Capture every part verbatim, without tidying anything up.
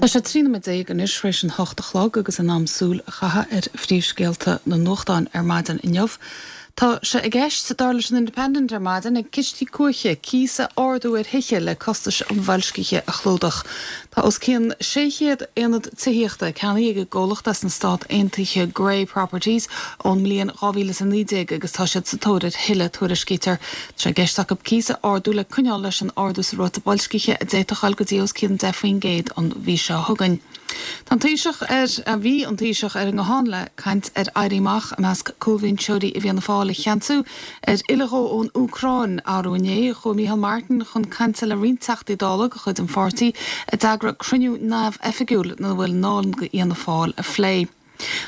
Tá sé trí nóiméad déag anois tar éis an hocht a chlog agus in am súil a chaitheamh ar phríomhscéalta na nuachtán ar maidin inniu. Tá sé i gceist dar leis an Independent ar maidin ag cistí cuaiche cíos a ardú ar thithe le costais an bhoilscithe a chlúdach. Tá os cionn sé chéad aonad tithíochta ceannaithe ag an gcomhlacht as na Stáit Aontaithe Grey Properties ón mbliain dhá mhíle is a naoi déag agus tá siad sa tóir ar thuilleadh tuairiscítear. Tá sé i gceist acu cíos a ardú le coinneáil leis an ardú sa ráta boilscithe a d'fhéadfadh dul go dtí os cionn deich faoin gcéad an mhí seo chugainn. Tá an Taoiseach ar a bhí an Taoiseach ar an nguthán le caint ar éirí amach i measc cúlbhinseoirí i bhFianna Fáil a cheansú ar fhilleadh dó ón Úcráin arú inné chuaigh Micheál Martin chun cainte le roinnt Teachtaí Dála de chuid an pháirtí a d'eagraigh cruinniú neamhoifigiúil ina bhfuil i ndán d'Fhianna Fáil a phlé.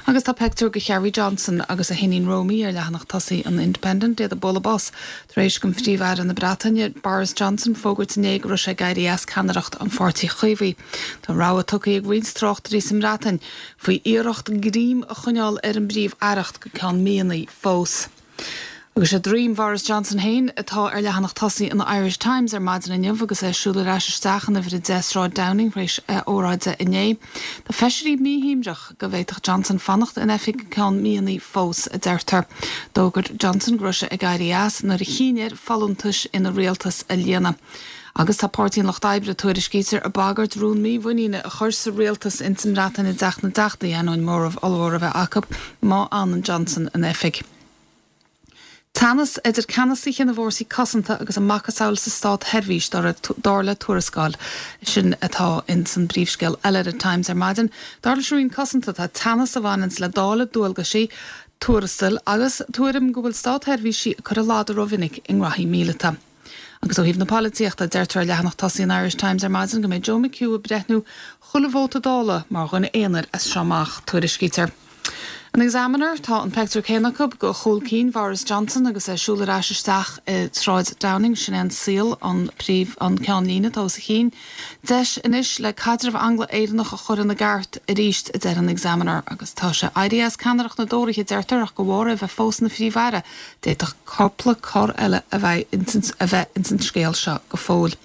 Agus tá pictiúr de Cherie Johnson agus a hiníon Romy ar leathanach tosaigh an Independent iad ag bualadh bos tar éis don Phríomh-Aire na Breataine Boris Johnson fógairt inné go raibh sé ag éirí as ceannaireacht an Pháirtí Chaomhaigh. Tá rabhadh tugtha ag roinnt tráchtairí sa mBreatain faoi iarracht greim a choinneáil ar an bPríomh-Aireacht go ceann míonna fós. Agus sé droim Boris Johnson féin atá ar leathanach tosaigh an Irish Times ar maidin inniu agus é ag siúl ar ais isteach in uimhir a deich Sráid Downing tar éis óráide inné. Tá feisirí míshuaimhneach go bhféadfadh Johnson fanacht in oifig go ceann míonna fós a deirtear. D'fhógair Johnson go raibh sé ag éirí as nuair a chinn air folúntais ina rialtas a líonadh. Agus tá Páirtí an Lucht Oibre tuairiscítear ag bagairt rún mímhuiníne a chur sa rialtas ins an mBreatain i dTeach na dTeachtaí ainneoin móramh ollmhór a bheith acu má fhanann Johnson in oifig. Teannas idir ceannasaithe na bhfórsaí cosanta agus a macasamhail sa státsheirbhís dar le tuarascáil sin atá in san bpríomhscéal eile ar Times ar maidin. Dar leis an Roinn Cosanta tá teannas a bhaineanns le dáileadh dualgaisí tuarastail agus tuairim go bhfuil státsheirbhísigh ag cur a ladar rómhinic i ngraithí míleata. Agus ó thaobh na polaitíochta deirtear ar leathanach tosaigh an Irish Times ar maidin go mbeidh Joe McHugh ag breithniú chuile vóta Dála mar dhuine aonair as seo amach tuairiscítear. An Examiner tá an pictiúr céanna acu de chúl cinn Boris Johnson agus é ag siúl ar ais isteach i Sráid Downing sin é an saol an príomh an ceannlíne atá os a chionn. Deis anois le caidreamh Angla-Éireannach a chur ina gceart arís a deir an Examiner agus tá sé éirithe as ceannaireacht na dTóraithe deirtear ach de bharr é bheith fós ina phríomh-aire d'fhéadfadh cúpla cor eile a bheith a bheith ins an scéal seo go fóill.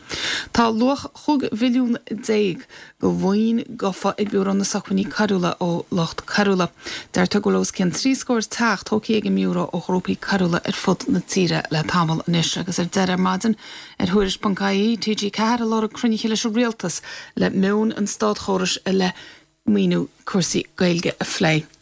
Tá luach chúig mhilliún déag de mhaoin gofa ag Biúró na Sócmhainní Coiriúla ó lucht coiriúla. Deirtear go bhfuil os cionn trí scór teach tógtha ag an mBiúró ó ghrúpaí coiriúla ar fud na tíre le tamall anois agus ar deireadh ar maidin ar Thuairisc.ie TG Ceathair ag lorg cruinnithe leis an rialtas le meon an státchórais i leith maoiniú cúrsaí Gaeilge a phlé.